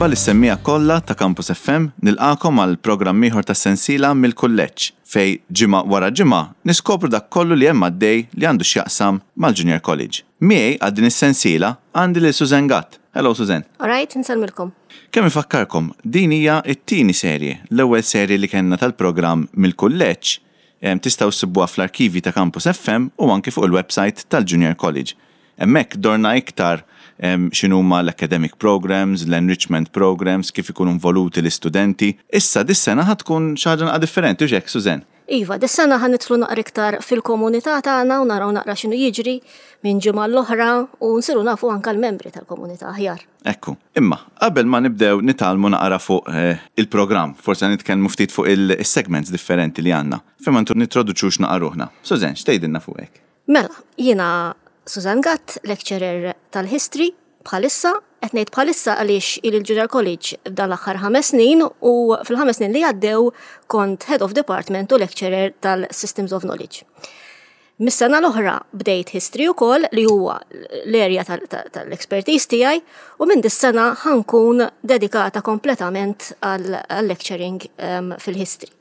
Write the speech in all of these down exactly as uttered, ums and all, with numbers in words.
Merħba lis-semmiegħa kollha ta' Campus F M, nilqagħkom għal programm ieħor ta' sensiela Mill-Kulleġġ, fejn ġimgħa wara ġimgħa niskopru dak kollu li hemm għaddej li għandu x'jaqsam mal-Junior College. Miegħi għal din is-sensiela għandi lil Susan Gatt. Hello, Susan. Alright, nsellmilkom. Kemm ifakkarkom, din hija t-tieni serje, l-ewwel serje li kellna tal-programm Mill-Kulleġġ em, tistgħu ssibuha fl-arkivi ta' Campus F M u anki fuq il-website tal-Junior College. Hemmhekk dorna iktar em, x'inhuma l-academic programs, l-enrichment programs, kif ikunu involuti l-istudenti. Issa dis-sena ħa tkun xi ħaġa naqra differenti, u hekk, Susan? Iva, dis-sena ħa nidħlu naqra iktar fil-komunità tagħna u naraw naqra x'inhu jiġri minn ġimgħa l-oħra u nsiru nafu anke l-membri tal-komunità aħjar. Ekku, imma qabel ma nibdew nitgħallmu naqra fuq eh, il-programm, forse nitkellmu ftit fuq il-segments differenti li għandna. Fejn ma nintroduċux naqra ruħna. Susan, x'tgħidilna fuqek? Mela, jiena Susan Gatt, lecturer tal-history bħalissa, qed ngħid bħalissa għaliex il-Junior College dan l-aħħar ħames snin u fil-ħames snin li għaddew kont Head of Department u lecturer tal-Systems of Knowledge. Mis-sena l-oħra bdejt history ukoll, li huwa l-area tal-expertise tiegħi, u minn dis-sena ħa nkun dedikata kompletament għal-lecturing um, fil-history.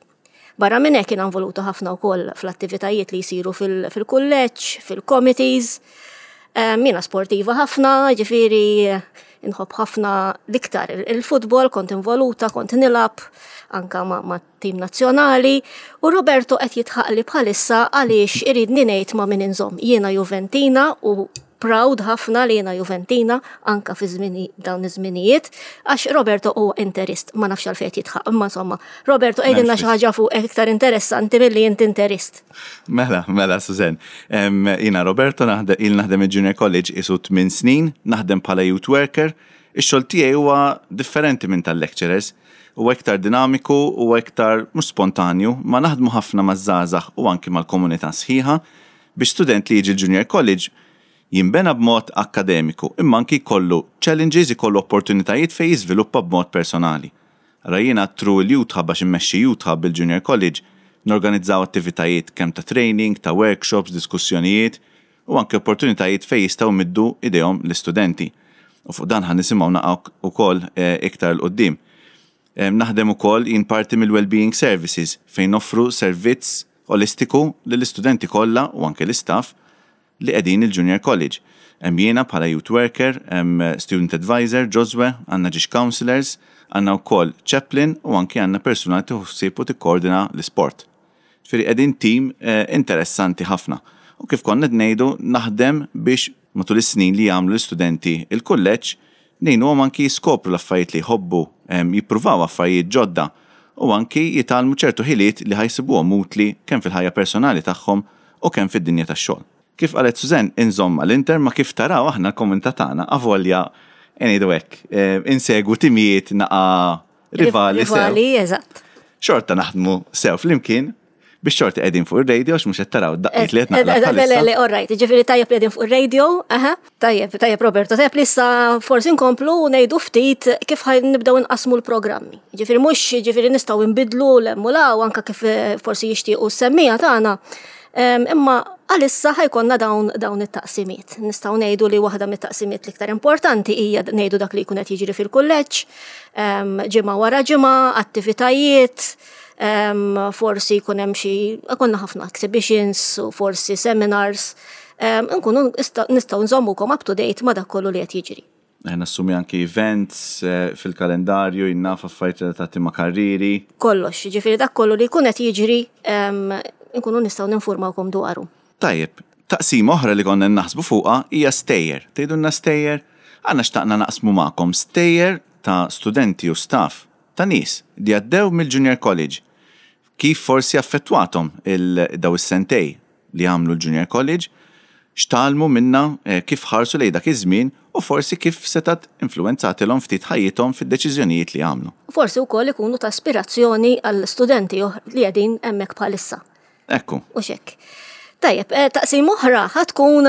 Barra minn hekk, jiena involuta ħafna wkoll fl-attivitajiet li jsiru fil-kulleġġ, fil-committees. Um, Jiena sportiva ħafna, ġifieri inħobb ħafna l-iktar il-futbol, kont involuta, kont nilgħab anka ma', ma tim nazzjonali, u Roberto qed jidħaqli bħalissa għaliex irid ngħid ma' min inżomm. Jiena Juventina u proud ħafna li jiena Juventina anka fi żmini dawn iż-żminijiet, għax Roberto huwa Interist, ma nafx għalfejn jidħaq, imma insomma, Roberto, għidilna xi ħaġa fuq iktar interessanti milli inti Interist. Mela, mela, Susan. Em, Jiena Roberto, naħdem il naħdem il-Junior College isu tmien snin, naħdem bħala youth worker. Ix-xogħol tiegħi huwa differenti minn tal-lecturers. Huwa iktar dinamiku, huwa iktar mhux spontanju, ma naħdmu ħafna maż-żgħażagħ u anki mal-komunità sħiħa biex student li jiġi l-Junior College jimbena b'mod akkademiku, imma anki jkollu challenges, ikollu opportunitajiet fejn jiżviluppa b'mod personali. Ara, jiena through il-Youth Hub, għax immexxi Youth Hub il-Junior College, norganizzaw attivitajiet kemm ta' training, ta' workshops, diskussjonijiet u anke opportunitajiet fejn jistgħu jmiddu idejhom l-istudenti. U fuq dan ħa nisimgħu naqra ukoll eh, iktar 'il quddiem. Em, Naħdem ukoll jien parti mill-Wellbeing Services, fejn noffru servizz olistiku lill-istudenti kollha u anke l-istaff li qegħdin il-Junior College. Hemm jiena bħala youth worker, hemm student advisor, Joswe, għandna ġiex counselors, għandna wkoll chaplain u anke għandna persuna li tieħu u tikkoordina l-isport. Ġifieri qegħdin team eh, interessanti ħafna. U kif konna qed ngħidu, naħdem biex matul is-snin li jagħmlu l-istudenti il-kulleġġ ngħinuhom anki jiskopru l-affarijiet li jħobbu, em, jippruvaw affarijiet ġodda u anki jitgħallmu ċertu ħiliet li ħa jsibuhom utli kemm fil-ħajja personali tagħhom u kemm fid-dinja tax-xogħol. Kif qalet Susan, inżomm mal-Inter, ma kif taraw aħna l-komunità tagħna avolja ngħidu hekk, eh, insegwu timijiet naqa rivali sew. Rivali, eżatt. Xorta naħdmu sew flimkien biex xorti qegħdin fuq ir-radio, għax mhux qed taraw daqqiet li qed naqla Le, le, bħalissa. Le, all right, ġifieri tajjeb li qegħdin fuq ir-radio, aha, tajjeb, tajjeb Roberto, tajjeb li issa forsi nkomplu u ngħidu ftit kif ħa nibdew nqasmu l-programmi. Ġifieri mhux ġifieri nistgħu nbidlu l-emmulaw anka kif eh, forsi jixtiequ s-semmiegħa tagħna. Em, Imma għalissa ħa jkollna dawn dawn it-taqsimiet. Nistgħu ngħidu li waħda mit-taqsimiet l-iktar importanti hija ngħidu dak li jkun qed jiġri fil-kulleġġ, em, ġimgħa wara ġimgħa, attivitajiet, em, forsi jkun hemm xi konna ħafna exhibitions u forsi seminars, em, nkunu nista- nistgħu nżommukom up to date ma' dak kollu li qed jiġri. Eh, Nassumi anki events eh, fil-kalendarju, jinnaf affarijiet relatati ma' karriri. Kollox, ġifieri dak kollu li jkun qed jiġri, em, nkunu nistgħu ninformawkom dwaru. Tajjeb, taqsima oħra li konna naħsbu fuqha hija stejjer. Tgħidulna stejjer? Għandna xtaqna naqsmu magħkom stejjer ta' studenti u staff ta' nies li għaddew mill-Junior College. Kif forsi affettwathom il-daw is-sentejn li għamlu l-Junior College, x'tgħallmu minna, eh, kif ħarsu lejn dak iż-żmien u forsi kif setat influenzatilhom ftit ħajjithom fid-deċiżjonijiet li għamlu. Forsi wkoll ikunu ta' ispirazzjoni għall studenti oħ- li qegħdin hemmhekk bħalissa. Ekku. U hekk. Tajjeb, eh, taqsim oħra ħa tkun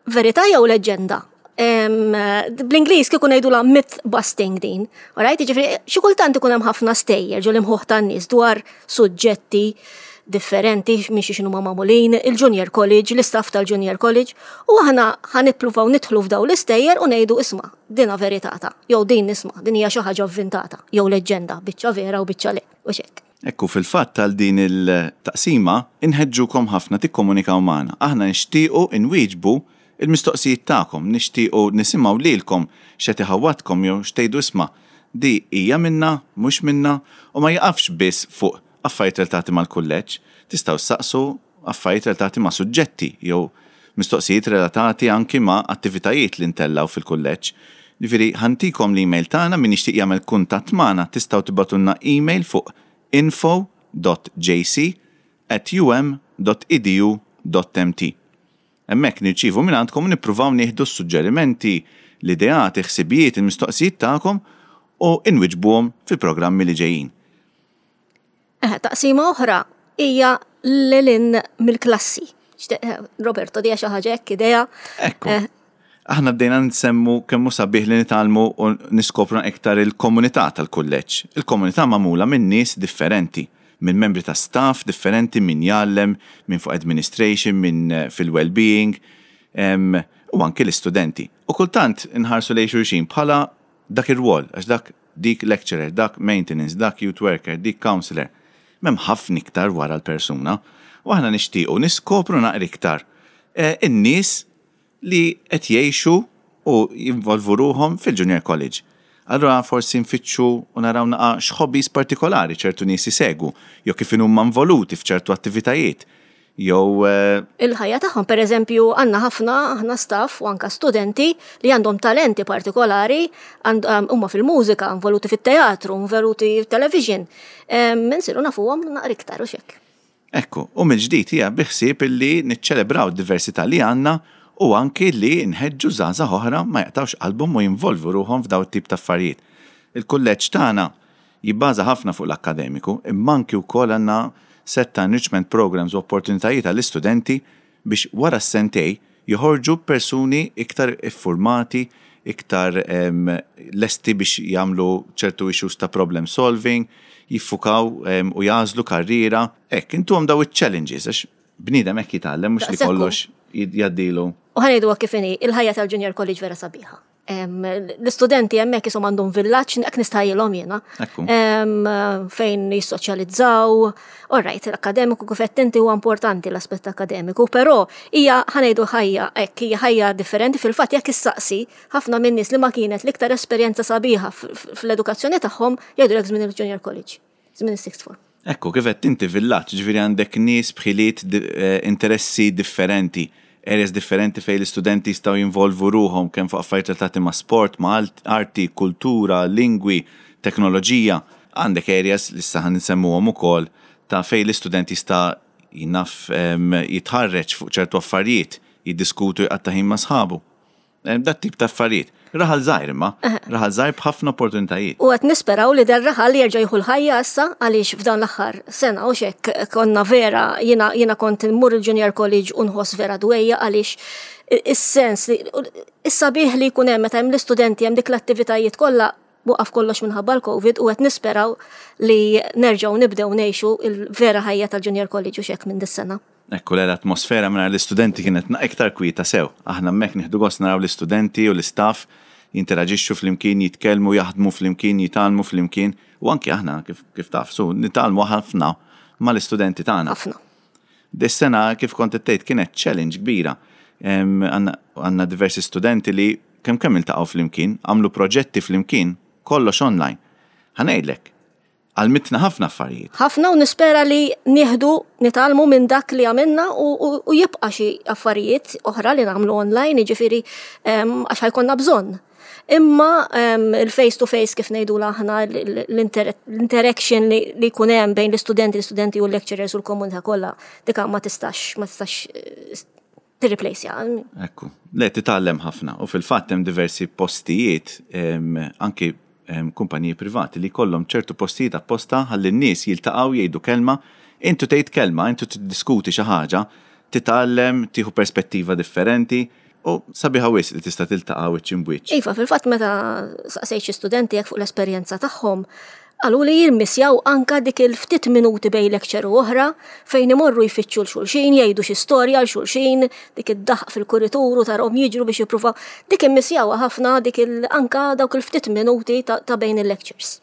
verità jew leġenda. Em, Bl-Ingliż kieku ngħidulha myth busting din. Alright, ġifieri xi kultant ikun hemm ħafna stejjer ġol imħuħ tan-nies dwar suġġetti, differenti minn xiex huma magħmulin, il-Junior College, l-istaff tal-Junior College, u aħna ħa nippruvaw nidħlu f'daw l-istejjer u ngħidu, "Isma', dina veritata, jew din, isma', din hija xi ħaġa avvintata, jew leġġenda, biċċa vera u biċċa le," u hekk. Ekku, fil-fatt tal din il-taqsima inħeġġukom ħafna tikkomunikaw magħna. Aħna nixtiequ inwieġbu il-mistoqsijiet tagħkom, nixtiequ nisimgħu lilkom x'qed iħawwadkom jew x'tgħidu, "Isma', di hija minna, mhux minna," u ma jaqafx biss fuq affarijiet relatati mal-kulleġġ, tistgħu ssaqsu affarijiet relatati ma' suġġetti jew mistoqsijiet relatati anki ma' attivitajiet li ntellgħu fil-kulleġġ. Ġifieri ħa ntikom l-email tagħna, min jixtieq jagħmel kuntatt magħna, tistgħu tibagħtulna email fuq info dot J C at U M dot edu dot M T. Hemmhekk nirċievu minn għandkom u nippruvaw nieħdu s-suġġerimenti, l-ideat, il-ħsibijiet, il-mistoqsijiet tagħkom u inwiġbuhom fil-programmi li ġejjin. Eh, taqsima oħra hija lil hinn mill-klassi. Eh, Roberto, dija xi ħaġa hekk idea. Ekku. Eh. Aħna bdejna nsemmu kemm hu sabiħ li nitgħallmu u niskopru iktar il-komunità tal-kulleġġ. Il-komunità magħmula minn nies differenti, minn membri ta' staff differenti, minn jgħallem, minn fuq administration, minn eh, fil-well-being, u anki l-istudenti. U kultant nħarsu lejn xulxin bħala dak ir-rwol, għax dak dik lecturer, dak maintenance, dak youth worker, dik counselor. M'hemm ħafna iktar wara l-persuna u aħna nixtiequ niskopru naqra iktar eh, in-nies li qed jgħixu u jinvolvu ruhom fil-Junior College. Allura forsi nfittxu u naraw naqa x'hobbies partikolari ċertu nies isegwu, jew kif huma involuti f'ċertu attivitajiet. Jew eh, il-ħajja tagħhom, per eżempju, għandna ħafna aħna staff u anka studenti li għandhom talenti partikolari, huma fil-mużika, involuti fit-teatru, involuti fit-television. Insiru nafuhom naqra iktar u hekk. Ekku, u mill-ġdid hija bi ħsieb illi niċċelebraw d-diversità li għandna u anki li nħeġġu żgħażagħ oħra ma jaqtawx qalbhom u jinvolvu ruħhom f'daw it-tip ta' affarijiet. Il-kulleġġ tagħna jibbaża ħafna fuq l-akkademiku, imma anki wkoll għandna set ta' enrichment programs u opportunitajiet għall-istudenti biex wara s-sentejn joħorġu persuni iktar iffurmati, iktar em, lesti biex jagħmlu ċertu issues ta' problem solving, jiffukaw em, u jagħżlu karriera. Hekk, intuhom daw il-challenges, għax bniedem hekk jitgħallem, mhux li Daqshekk hu. Kollox jgħaddilu. U ħa ngħidu kif inhi, il-ħajja tal-Junior College vera sabiħa. Em, L-istudenti hemmhekk jisom għandhom villaġġ, hekk nistħajjilhom jiena. Ekku. Em, fejn jissoċjalizzaw. All right, l-akademiku, kif qed inti, huwa importanti l-aspett akademiku, però hija, ħa ngħidu, ħajja hekk, hija ħajja differenti. Fil-fatt, jekk issaqsi ħafna minn nies li ma kienet l-iktar esperjenza sabiħa f- f- fl-edukazzjoni tagħhom, jgħidulek żmien il-Junior College, żmien is-sixth form. Ekku, kif qed inti, villaġġ, ġifieri għandek nies b'ħiliet di- eh, interessi differenti, areas differenti fejn l-istudenti jistgħu jinvolvu ruhom kemm fuq affarijiet relatati ma' sport, ma' alt- arti, kultura, lingwi, teknoloġija. Għandek areas li issa ħa nsemmuhom ukoll ta' fejn l-istudenti jista' jinaf em, jitħarreġ fuq ċertu affarijiet, jiddiskutu, jqatta' ħin ma' sħabu. Em, Dat tip ta' affarijiet. Raħal żgħir imma, raħal żgħir b'ħafna opportunitajiet. U qed nisperaw li dar-raħal jerġa' jieħu l-ħajja issa, għaliex f'dan l-aħħar sena u hekk konna vera, jiena jiena kont immur il-Junior College u nħoss vera dwejja, għaliex is-sens li is-sabiħ li jkun hemm meta hemm l-istudenti, hemm dik l-attivitajiet kollha, waqaf kollox minħabba l-Covid, u qed nisperaw li nerġgħu nibdew ngħixu il-vera ħajja tal-Junior College u hekk minn dis-sena. Ekku, l-atmosfera minn l-istudenti kienet na iktar kwieta sew. Aħna hemmhekk nieħdu gost naraw l-istudenti u l-istaff jinteraġixxu flimkien, jitkellmu, jaħdmu flimkien, jitgħallmu flimkien. U anki aħna, kif, kif taf, su, nitgħallmu ħafna mal-istudenti tagħna. Ħafna. Dis-sena, kif kont tgħid, kienet challenge kbira. Em, Għandna għandna diversi studenti li kemm kemm iltaqgħu flimkien, għamlu proġetti flimkien, kollox online. Ħa ngħidlek, għallmitna ħafna affarijiet. Ħafna, u nispera li nieħdu, nitgħallmu minn dak li għamilna u, u, u jibqa' xi affarijiet oħra li nagħmlu online, jiġifieri em, għax ħa jkollna bżonn. Imma em, il-face to face, kif ngħidu aħna, l-interaction li, li jkun hemm bejn l-istudenti, l-istudenti u l-lecturers u l-komunità kollha, dik ma tistax ma tistax eh, tirreplaceja. Ekku, le, titgħallem ħafna u fil-fatt hemm diversi postijiet, em, anki em, kumpaniji privati li kollhom ċertu postijiet apposta ħalli n-nies jiltaqgħu, jgħidu kelma, intu tgħid kelma, intu tiddiskuti xi ħaġa, titgħallem, tieħu perspettiva differenti u sabiħa wisq li tista' tiltaqa' wiċċ imbwiċċ. Iva, fil-fatt meta saqsejt xi studenti jekk fuq l-esperjenza tagħhom, Qalu li jimmissjaw anka dik il-ftit minuti bejn lecture u oħra fejn imorru jfittxu 'l xulxin, jgħidu xi storja 'l xulxin, dik id-daħq fil-kuritur u tarahom jiġru biex jippruvaw. Dik immissjawha ħafna, dik il anka dawk il-ftit minuti ta', ta bejn il-lectures.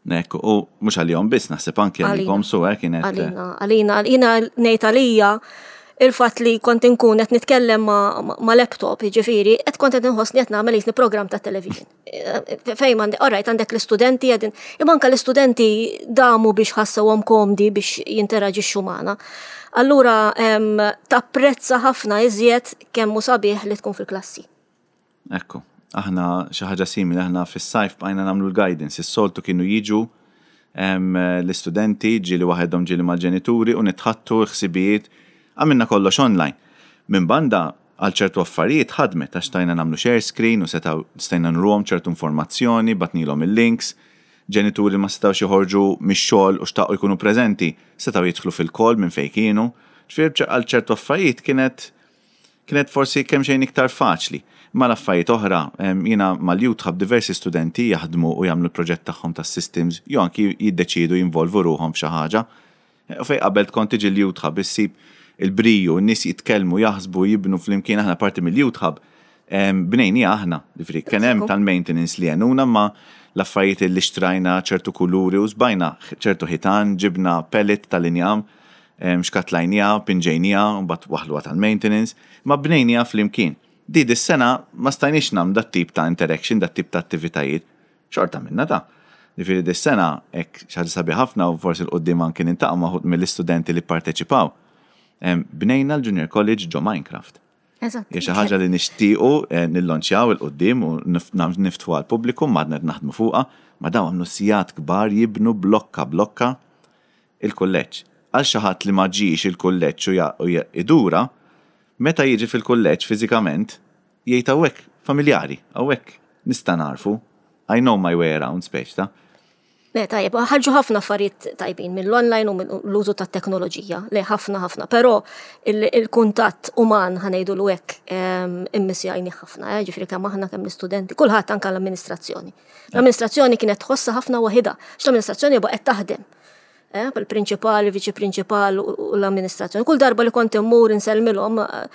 Ekku, u mhux għalihom biss, naħseb anke għalikom su eh, kienet. Għalina, għalina, għalina ngħid għalija il-fatt li kont inkun qed nitkellem ma', ma, ma laptop, jiġifieri, qed kont qed inħossni qed nagħmel jisni program ta' television. Fejn għandek, alright, għandek l-istudenti qegħdin, imma anke l-istudenti damu biex ħassewhom komdi biex jinteraġixxu magħna. Allura em, tapprezza ħafna iżjed kemm hu sabiħ li tkun fil-klassi. Ekku, aħna xi ħaġa simili, aħna fis-sajf bqajna nagħmlu l-guidance. Is-soltu kienu jiġu em, l-istudenti, ġieli waħedhom, ġieli mal-ġenituri, u nitħaddtu ħsibijiet, għamilna kollox online. Minn banda, għal ċertu affarijiet ħadmet għax stajna nagħmlu share screen u setaw stajna nuruhom ċertu informazzjoni, bgħatnielhom il-links, ġenituri ma setawx joħorġu mix-xogħol u xtaqu jkunu preżenti, setaw jidħlu fil-call minn fejn kienu. Ġifieri għal ċertu affarijiet kienet kienet forsi kemm xejn iktar faċli. Ma l-affarijiet oħra, em, jiena mal-Youth Hub diversi studenti jaħdmu u jagħmlu l-proġett tagħhom tas-systems, jew anki jiddeċidu jinvolvu ruħhom f'xi ħaġa. U fejn qabel tkun tiġi l-Youth Hub issib il-briju, n-nies jitkellmu, jaħsbu, jibnu flimkien. Aħna parti mill-Youth Hub em, bnejnija aħna, ġifieri kien hemm tal-maintenance li għenuna, ma l-affarijiet li xtrajna, ċertu kuluri u żbajna ċertu ħitan, ġibna pellet tal-injam, em, xkatlajnija, pinġejnija, u mbagħad waħluha tal-maintenance, ma bnejnija flimkien. Di dis-sena ma stajniex nagħmlu dat tip ta' interaction, dat tip ta' attivitajiet, xorta minna ta' Ġifieri dis-sena hekk xi ħaġa sabiħ ħafna u forsi 'l quddiem anki niltaqgħu ma' wħud mill-istudenti li parteċipaw. Em, Bnejna l-Junior College ġo Minecraft. Eżatt. Hija xi ħaġa li nixtiequ eh, nillonċjaw 'il quddiem u nif- nam- niftħu għall-pubbliku, m'għadna qed naħdmu fuqha, ma dawn għamlu sigħat kbar jibnu blokka blokka il-kulleġġ. Għal xi ħadd li ma ġiex il-kulleġġ u ja- u ja- idura, meta jiġi fil-kulleġġ fiżikament, jgħid, "Hawnhekk familjari, hawnhekk nista' narfu, I know my way around," speċ ta' Le, tajjeb, ħarġu ħafna affarijiet tajbin mill-online u mill-użu ta' teknoloġija. Le, ħafna ħafna, però il- il-kuntatt uman, ħa ngħidu hekk, immissjajni ħafna, eh, ġifieri kemm aħna, kemm l-istudenti, kulħadd, anke l-amministrazzjoni. L-amministrazzjoni kienet tħossha ħafna waħidha, x l-amministrazzjoni baqgħet taħdem. Eh, bil-prinċipal, il-viċi prinċipal u u l-amministrazzjoni. Kull darba li kont immur insellmilhom, eh,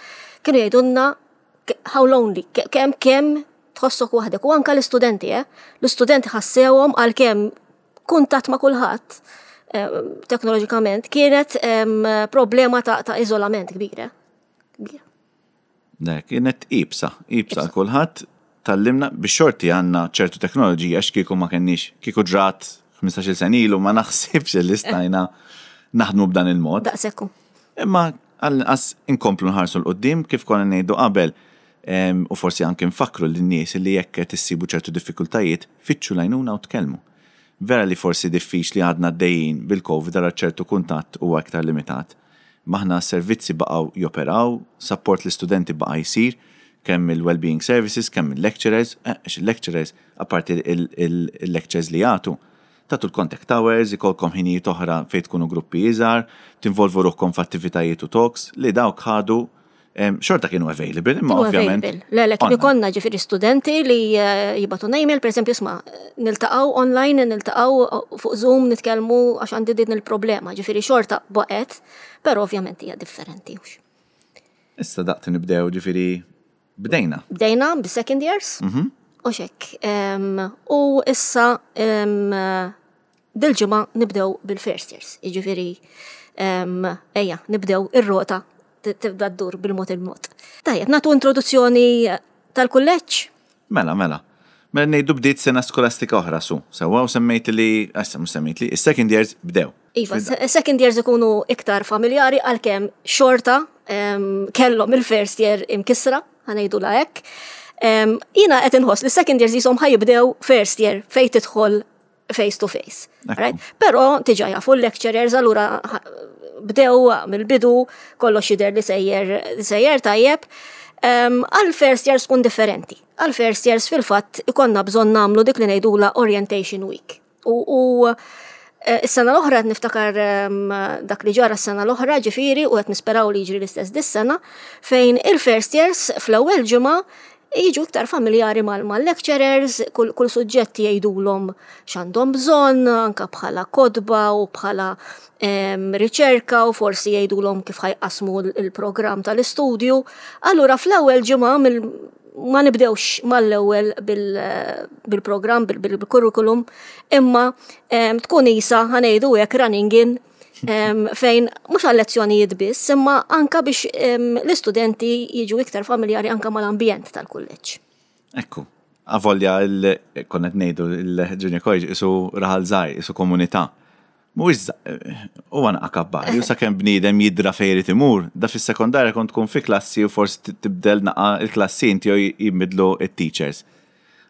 kienu jgħidulna how lonely, ke- kemm kemm tħossok waħdek. U anka l-istudenti, eh? L-istudenti ħassewhom, għalkemm kuntatt ma' kulħadd eh, teknoloġikament, kienet em, problema ta', ta' iżolament kbira. Kbira. Le, kienet iebsa, iebsa għal kulħadd, tgħallimna bix-xorti għandna ċertu teknoloġija għax kieku ma kenniex, kieku ġrat ħmistax-il sena ilu, ma naħsibx li stajna naħdmu b'dan il-mod. Daqsekku. Imma għall-inqas inkomplu nħarsu 'l quddiem kif konna ngħidu qabel em, u forsi anke nfakru lin-nies li jekk qed issibu ċertu diffikultajiet, fittxu l-għajnuna u tkellmu. Vera li forsi diffiċli, għadna għaddejjin bil-Covid, ara ċertu kuntatt huwa aktar limitat. Maħna servizzi baqgħu joperaw, support l-istudenti baqa' jsir, kemm il-well-being services, kemm il-lecturers, eh, għax il-lecturers, apparti il-lectures li jagħtu, tagħtu l-contact hours, ikolkom ħinijiet oħra fejn tkunu gruppi iżgħar, tinvolvu ruħkom f'attivitajiet u talks li dawk ħadu em, xorta kienu available, imma Kienu ovvjament available. Le, le, kien online. ikollna ġifieri studenti li eh, jibagħtu email, per esempio, "Isma', niltaqgħu online, niltaqgħu fuq Zoom, nitkellmu għax għandi din il-problema." Ġifieri xorta baqgħet, però ovvjament hija differenti. Hux. Issa daqt nibdew, ġifieri bdejna. Bdejna bis-second years, u xek. Em, U issa em, dil-ġimgħa nibdew bil-first years. Jiġifieri em, ejja, nibdew ir-rota t- tibda ddur bil-mod il-mod. Tajjeb, nagħtu introduzzjoni tal-kulleġġ. Mela, mela. Mela ngħidu bdiet sena skolastika oħra su. Sewwa, u semmejt li, issa mhux semmejt li, is-second years bdew. Iva, se- second years ikunu iktar familjari, għalkemm xorta em, kellhom il-first year imkisra, ħa ngħidu la hekk. Em, Jiena qed inħoss li second years jisom ħa jibdew first year fejn tidħol face to face. Ekku. Right? Però diġà jafu l-lecturers, allura ħa- bdew mill-bidu, kollox jidher li sejjer li sejjer tajjeb. Um, Għal first years tkun differenti. Għal first years fil-fatt ikollna bżonn nagħmlu dik li ngħidula orientation week. U, u eh, is-sena l-oħra qed niftakar em, dak li ġara s-sena l-oħra, ġifieri, u qed nisperaw li jiġri l-istess dis-sena, fejn il-first years fl-ewwel ġimgħa Jiġu iktar familjari mal-lecturers, kull, kull suġġett jgħidulhom x'għandhom bżonn, anka bħala kotba u bħala em, riċerka u forsi jgħidulhom kif ħa jqassmu il-programm tal-istudju. Allura fl-ewwel ġimgħa mill ma nibdewx mal-ewwel bil-programm, bil-curriculum, imma em, tkun isa ħa ngħidu hekk running in em, fejn mhux għal lezzjonijiet biss, imma anka biex em, l-istudenti jiġu iktar familjari anka mal-ambjent tal-kulleġġ. Ekku, avolja il- konna ngħidu il-Junior College isu raħal żgħir, isu komunità. Mhuwiex huwa naqa kabbar, ju sakemm bniedem jidra fejn irid imur, da fis-sekondarja kont tkun fi klassi u forsi tibdel naqa il-klassi inti jew jibdlu it-teachers.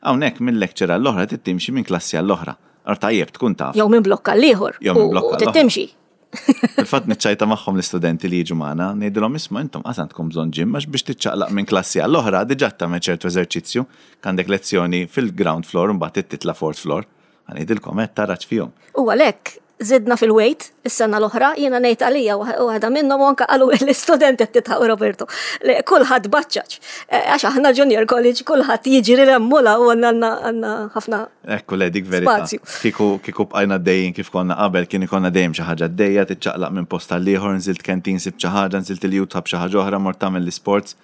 Hawnhekk minn lecture għall-oħra trid timxi minn klassi għall-oħra. Ar tajjeb tkun taf. Jew minn blokk għall-ieħor. Jew minn u- blokk U għall-ieħor. timxi. Fil-fatt niċċajta magħhom l-istudenti li jiġu magħna, ngħidilhom isma' intom qas għandkom bżonn gym għax biex tiċċaqlaq minn klassi għall-oħra diġà tagħmel ċertu eżerċizzju, għandek lezzjoni fil-ground floor u mbagħad titla' fourth floor. Ħa ngħidilkom qed taraġ fihom. U għalhekk zidna fil-weight is-sena l-oħra, jiena ngħid għalija waħda minnhom u anka qalu l-istudenti qed tidħaq Roberto. Li kulħadd baċċaċ. Eh, Għax aħna junior college kulħadd jiġri l-emmula u għandna għandna ħafna Ekku le dik verità. Spazju. Kieku kieku bqajna dejjin kif konna qabel kien ikonna dejjem xi ħaġa dejja tiċċaqlaq minn post għal ieħor, nżilt canteen sib xi ħaġa, nżilt il-youth hub xi ħaġa oħra, mort tagħmel l-sports.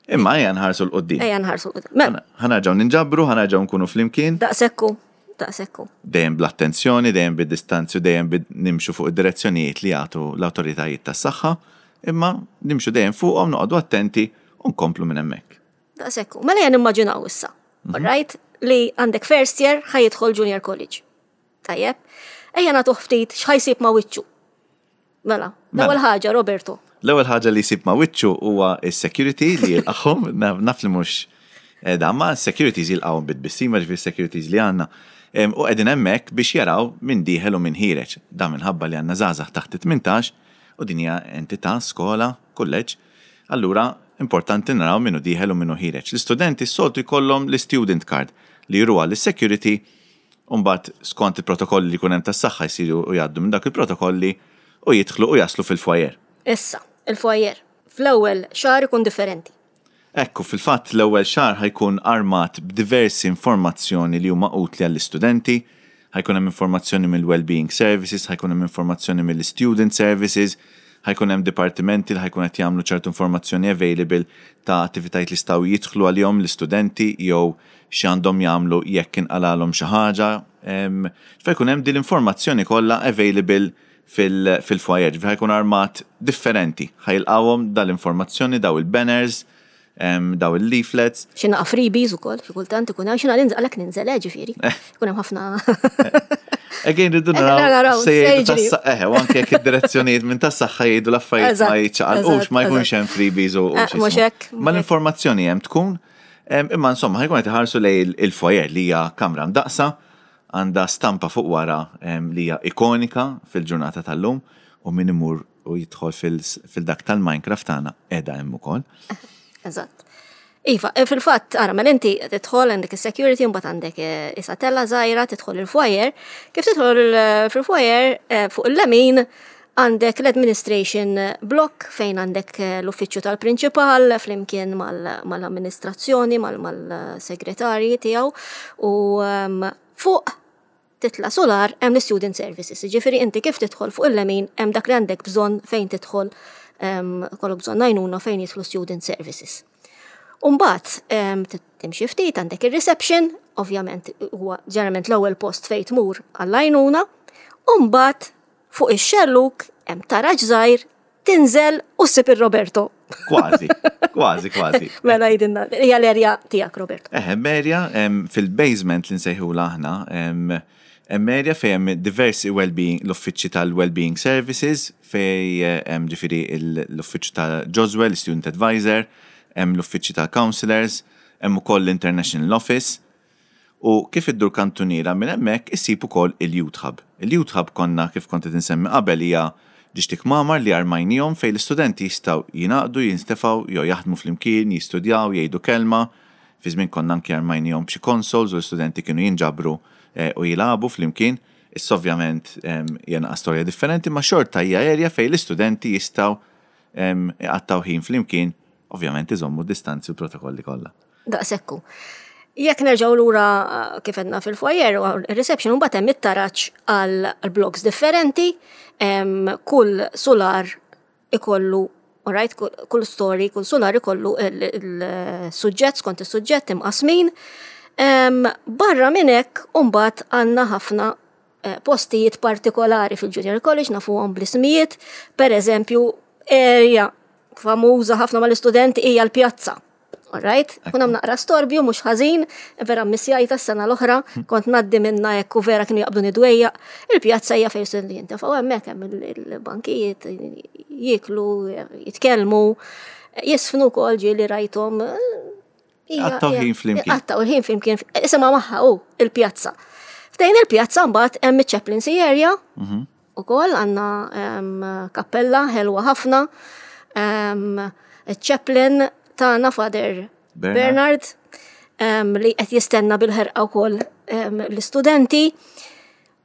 Imma ejja nħarsu 'l quddiem. Ejja nħarsu. Mela, Ħa nerġgħu ninġabru, ħa nerġgħu nkunu flimkien. daqsekku, daqsekku. Dejjem bl-attenzjoni, dejjem bid-distanzju, dejjem bid nimxu fuq id-direzzjonijiet li jagħtu l-awtoritajiet tas-saħħa, imma nimxu dejjem fuqhom noqogħdu attenti u nkomplu minn hemmhekk. Daqsekku. Mela ejja nimmaġinaw issa. All right? Li għandek first year ħa jidħol junior college. Tajjeb? Ejja nagħtuh ftit x'ħa jsib ma' wiċċu. Mela, l-ewwel Mela. ħaġa, Roberto. L-ewwel ħaġa li jsib ma' wiċċu huwa s-security li jilqagħhom, naf naf li mhux eh, da ma s-securities jilqgħuhom bit-tbissima ġifieri securities li għandna. Em, U qegħdin hemmhekk biex jaraw min dieħel u min ħiereġ. Da minħabba li għandna żgħażagħ taħt it-tmintax u din hija entità, skola, kulleġġ. Allura importanti naraw min hu dieħel u min hu ħiereġ. L-istudenti s-soltu jkollhom l-student card li juruha lis-security. Umbat skont il-protokolli li kunem tas-saħħa jsiru u jgħaddu minn dak il-protokolli u jidħlu u jaslu fil-foyer. Issa, il-foyer. Fl-ewwel xahar ikun differenti. Ekku, fil-fatt l-ewwel xahar ħa jkun armat b'diversi informazzjoni li huma utli għall-istudenti, ħa jkun hemm informazzjoni mill-Wellbeing Services, ħa jkun hemm informazzjoni mill-Student Services, ħa jkun hemm dipartimenti li ħa jkun qed jagħmlu ċertu informazzjoni available ta' attivitajiet li jistgħu jidħlu għalihom l-istudenti jew x'għandhom jagħmlu jekk inqalalhom xi ħaġa. Em, Ħa jkun hemm din l-informazzjoni kollha available fil- fil-foyer, ħa jkun armat differenti, ħa jilqawhom dal-informazzjoni, daw il-banners, em, daw il-leaflets. Xi naqa freebies ukoll, xi kultant ikun hemm xi nhar għalhekk ninżel eh, ġifieri. Ikun hemm ħafna. Again, rridu Eh, naraw, naraw se se jgħidu jiġri. tas eħe, u anke jekk id-direzzjonijiet minn tas-saħħa jgħidu l-affarijiet ma Eżatt, jiċċaqalqux, ma eżatt, jkunx eżatt. hemm freebies u u Eh, xi mhux jismu. hekk, Ma mhux hekk. l-informazzjoni hemm tkun, em, imma insomma ħa jkun qed iħarsu lejn il-foyer li hija kamra mdaqsa, għandha stampa fuq wara em, li hija ikonika fil-ġurnata tal-lum u min imur u jidħol fil- fil-dak tal-Minecraft tagħna qiegħda hemm ukoll. Eżatt. Iva, eh, fil-fatt, ara, mela inti tidħol għandek is-security, mbagħad għandek eh, isatella żgħira, tidħol il-foyer. Kif tidħol eh, fil-foyer, eh, fuq il-lemin għandek l-administration block fejn għandek eh, l-uffiċċju tal-prinċipal flimkien mal- mal-amministrazzjoni, mal- mal-segretarji tiegħu u ehm, fuq titla solar hemm l-student services. Ġifieri inti kif tidħol fuq il-lemin hemm dak li għandek bżonn fejn tidħol em, kollok bżonn għajnuna fejn jidħlu student services. Umbat, timxi ftit għandek il-reception, ovvjament huwa ġeneralment l-ewwel post fejn tmur għall-għajnuna, umbat fuq ix-xelluk hemm taraġ żgħir tinżel u ssib ir-Roberto. Kważi, kważi, kważi. Mela jgħidilna, hija l-erja tiegħek Roberto. Eħe, area em, fil-basement li nsejħu aħna, em, hemm area fejn hemm diversi well-being, l-uffiċċji tal-well-being services, fejn eh, hemm ġifieri il- l-uffiċċju ta' Joswell, student advisor, hemm l-uffiċċji ta' counselors, hemm ukoll l-International Office. U kif iddur kantuniera minn hemmhekk issib ukoll il-Youth Hub. Il-Youth Hub konna kif kont qed insemmi qabel hija ġiġt kmamar li armajnihom fejn l-istudenti jistgħu jingħaqdu, jinstefgħu jew jaħdmu flimkien, jistudjaw, jgħidu kelma. Fi żmien konna anki armajnihom b'xi consoles u l-istudenti kienu jinġabru eh, u jilagħbu flimkien. Issa ovvjament em, hija naqa storja differenti, ma xorta hija area fejn l-istudenti jistgħu em, iqattgħu ħin flimkien, ovvjament iżommu distanzi u protokolli kollha. Daqshekk hu. Jekk nerġgħu lura eh, kif għedna fil-foyer u il-reception, mbagħad hemm it-taraġ għal blocks differenti, em, kull solar ikollu, alright, kull, kull story, kull solar ikollu il-suġġett skont is-suġġett imqasmin. Em, Barra minn hekk mbagħad għandna ħafna eh, postijiet partikolari fil-Junior College nafuhom bl-ismijiet, per eżempju, area famuża ħafna mal-istudenti hija l-pjazza. Alright? Kun hemm naqra storbju mhux ħażin, vera missjajta s-sena l-oħra, kont ngħaddi minna hekk u vera kienu jaqbduni dwejjaq. Il-pjazza hija fejn studenti jintefgħu hemmhekk hemm il- il-bankijiet jieklu, jitkellmu, jiżfnu wkoll ġieli rajthom. hija- Qattgħu hija- ħin flimkien. Qattgħu il-ħin flimkien, isimha magħha u il-pjazza. Ħdejn il-pjazza mbagħad hemm iċ-chaplaincy area, ukoll għandna em, kappella ħelwa ħafna, em, il-chaplain tagħna Father Bernard. Bernard, em, li qed jistenna bil-ħerqa wkoll em, l-istudenti.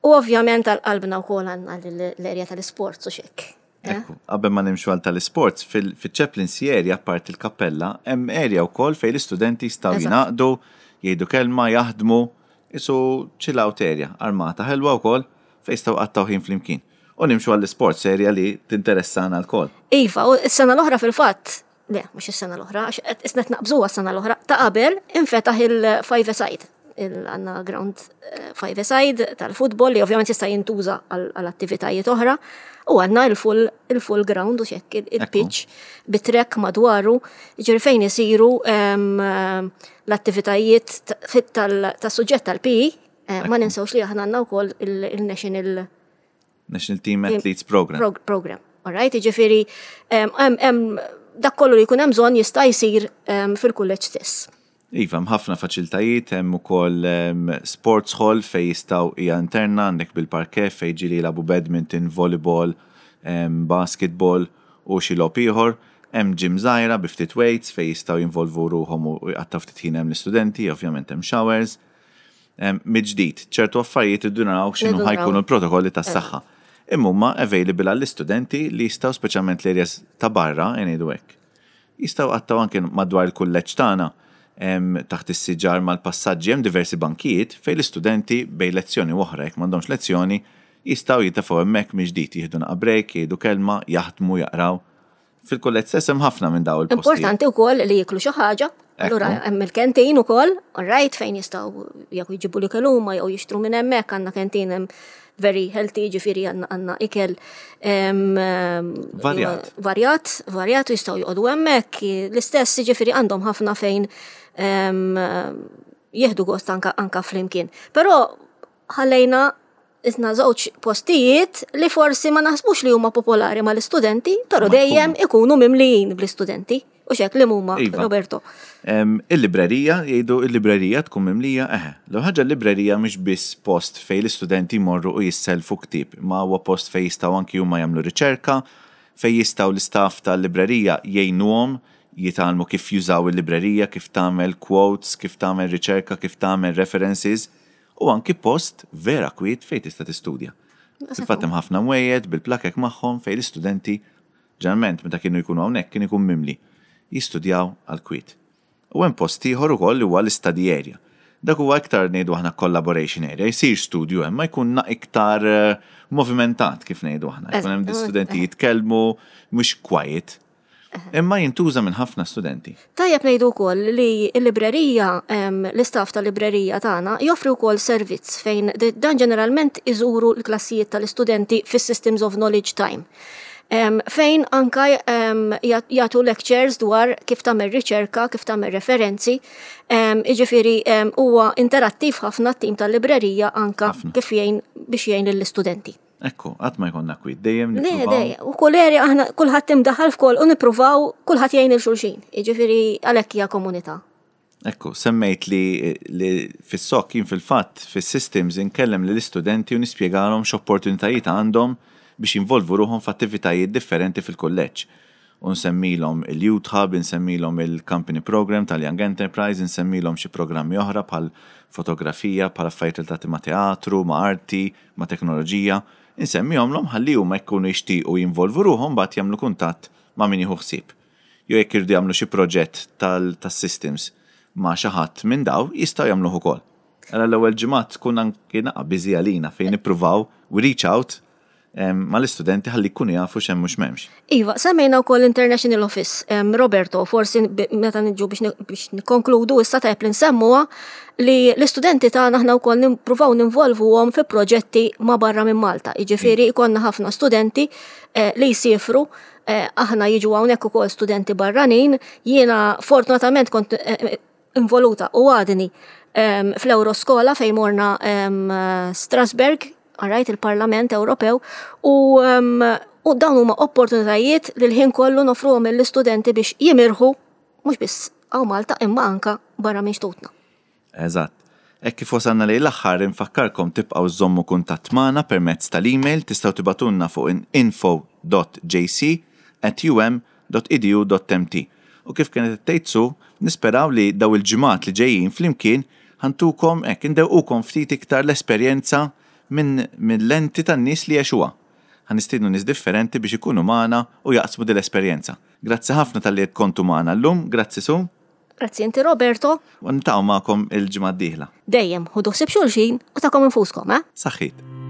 U ovvjament għal-qalbna wkoll għandna l-area tal-sports u xek. Eh? Ekku, qabel ma nimxu għal tal-sports, fil-chaplaincy area, apart il-kappella, hemm area wkoll fejn l-istudenti jistgħu Eżatt. jingħaqdu, jgħidu kelma, jaħdmu, isu chill out area, armata ħelwa wkoll fejn jistgħu jqattgħu ħin flimkien. U nimxu għall-sports area li tinteressana lkoll. Iva, u s-sena l-oħra fil-fatt, le, mhux is-sena l-oħra, għax qed isnet naqbżuha s-sena l-oħra, ta' qabel infetaħ il-five side il-għandna ground eh, five side tal-futbol li ovvjament jista' jintuża għal għal attivitajiet oħra u għandna il-full il-full ground u xek il-pitch bit-track madwaru, ġifieri fejn isiru em, em, l-attivitajiet ta- fit- tal- tas-suġġett tal-P E, eh, ma ninsewx li aħna għandna wkoll il- il-National National Team Athletes Program. prog program. Alright, ġifieri, hemm hemm dak kollu li jkun hemm bżonn jista' jsir em, fil-kulleġġ stess. Iva, hemm ħafna faċilitajiet, hemm ukoll em, sports hall fej jistgħu hija interna għandek bil-parquet fej ġieli jilagħbu badminton, volleyball, em, basketball u xi logħob ieħor. Hemm gym żgħira bi ftit weights fej jistgħu jinvolvu ruħhom u jqattgħu ftit ħin hemm l-istudenti, ovvjament hemm showers. Em, Mill-ġdid, ċertu affarijiet irridu naraw x'inhu Irridu ħa jkunu naraw. l-protokolli tas-saħħa. Imma huma available għall-istudenti li jistgħu speċjalment l-areas ta' barra, ngħidu hekk. Jistgħu jqattgħu anke madwar il-kulleġġ tagħna em, taħt is-siġar mal-passaġġi hemm diversi bankijiet fejn l-istudenti bejn lezzjoni u oħra jekk m'għandhomx lezzjoni jistgħu jintefgħu hemmhekk mill-ġdid jieħdu naqa break, jgħidu kelma, jaħdmu, jaqraw. Fil-kulleġġ stess hemm ħafna minn daw il-postijiet. Importanti wkoll li jiklu xi ħaġa. Allura hemm il-canteen ukoll, alright, fejn jistgħu jekk jġibu li huma jew jixtru minn hemmhekk għandna canteen hemm very healthy, ġifieri għandna għandna ikel em, em, Varjat. Varjat, varjat u jistgħu joqogħdu hemmhekk. L-istess ġifieri għandhom ħafna fejn em, jieħdu gost anka, anka flimkien. Però ħallejna isna żewġ postijiet li forsi ma naħsbux li huma popolari mal-istudenti, però Ma dejjem ikunu mimlijin bl-istudenti. U xek li huma, Iva. Roberto. Em, Il-librerija, jgħidu il-librerija tkun mimlija, eħe. L ħaġa l-librerija mhix biss post fej l-istudenti jmorru u jisselfu ktib, ma huwa post fej jistgħu anki huma jagħmlu riċerka, fej jistgħu l-istaff tal-librerija jgħinuhom jitgħallmu kif jużaw il-librerija, kif tagħmel quotes, kif tagħmel riċerka, kif tagħmel references, u anki post vera kwiet fej tista' tistudja. Fil-fatt hemm ħafna mwejjed bil-plakek magħhom fej l-istudenti ġeneralment meta kienu jkunu hawnhekk kien ikun mimli jistudjaw għal kwiet. U hemm post ieħor ukoll li huwa l-study area. Dak huwa iktar ngħidu aħna collaboration area, jsir studju hemm ma jkun na iktar eh, movimentat kif ngħidu aħna. Jkun hemm studenti jitkellmu mhux quiet. Imma jintuża minn ħafna studenti. Tajjeb ngħidu wkoll li l-librerija, em, l-istaff tal-librerija tagħna joffri wkoll servizz fejn d- dan ġeneralment iżuru l-klassijiet tal-istudenti fis-Systems of Knowledge Time. Em, fejn anka em, jat- jagħtu lectures dwar kif tagħmel riċerka, kif tagħmel referenzi. Em, Jiġifieri em, huwa interattiv ħafna t-tim tal-librerija anka Ħafna. kif jgħin biex jgħin lill-istudenti. Ekku, qatt ma jkollna kwiet, dejjem Le, nippruvaw. dejjem. U kull area aħna kulħadd imdaħal f'kol u nippruvaw kulħadd jgħin lil xulxin. Jiġifieri għalhekk hija komunità. Ekku, semmejt li, li fis-S O K jien fil-fatt fis-systems inkellem lill istudenti u nispjegalhom x'opportunitajiet għandhom biex jinvolvu ruħhom f'attivitajiet differenti fil-kulleġġ. U nsemmilhom il-Youth Hub, insemmilhom il-Company Program tal-Young Enterprise, insemmilhom xi programmi oħra bħal fotografija, bħal affarijiet relatati ma' teatru, ma' arti, ma' teknoloġija. Insemmihomlhom ħalli huma jkunu jixtiequ jinvolvu ruħhom mbagħad jagħmlu kuntatt ma' min jieħu ħsieb. Jew jekk irdu jagħmlu xi proġett tal-systems ma' xi ħadd minn daw jistgħu jagħmluh ukoll. Għala l-ewwel ġimgħat tkun anki naqa' busy għalina fejn nippruvaw we reach out em, mal-istudenti ħalli jkunu jafu x'hemm mhux m'hemmx. Iva, semmejna wkoll International Office. Em, Roberto, forsi b- meta niġu biex ni- biex nikkonkludu issa tajb li nsemmuha li l-istudenti tagħna aħna wkoll nippruvaw ninvolvuhom fi proġetti ma' barra minn Malta. Jiġifieri jkollna ħafna studenti eh, li jsifru, eh, aħna jiġu hawnhekk ukoll studenti barranin, jiena fortunatament kont eh, eh, involuta u għadni em, fl-Euroskola fejn morna em, Strasberg, alright, il-Parlament Ewropew, u, um, u dawn huma opportunitajiet li l-ħin kollu nofruhom lill-istudenti biex jimirħu mhux biss hawn Malta imma anka barra minn xtutna. Eżatt. Hekk kif wasalna lejn l-aħħar, infakkarkom tibqgħu żommu kuntatt magħna permezz tal-email. Tistgħu tibagħtulna fuq info dot J C at U M dot edu dot M T. U kif kienet tgħid Su, nisperaw li daw il-ġimgħat li ġejjin flimkien ħa ntukom hekk indewqukom ftit iktar l-esperjenza minn minn lenti tan-nies li għexuha. Ħa nistiednu nies differenti biex ikunu magħna u jaqsmu din l-esperjenza. Grazzi ħafna talli qed kontu magħna llum, grazzi Su. Grazzi inti, Roberto. U niltaqgħu magħkom il-ġimgħa d-dieħla. Dejjem ħudu ħsieb xulxin u tagħkom infuskom, eh? Saħħit.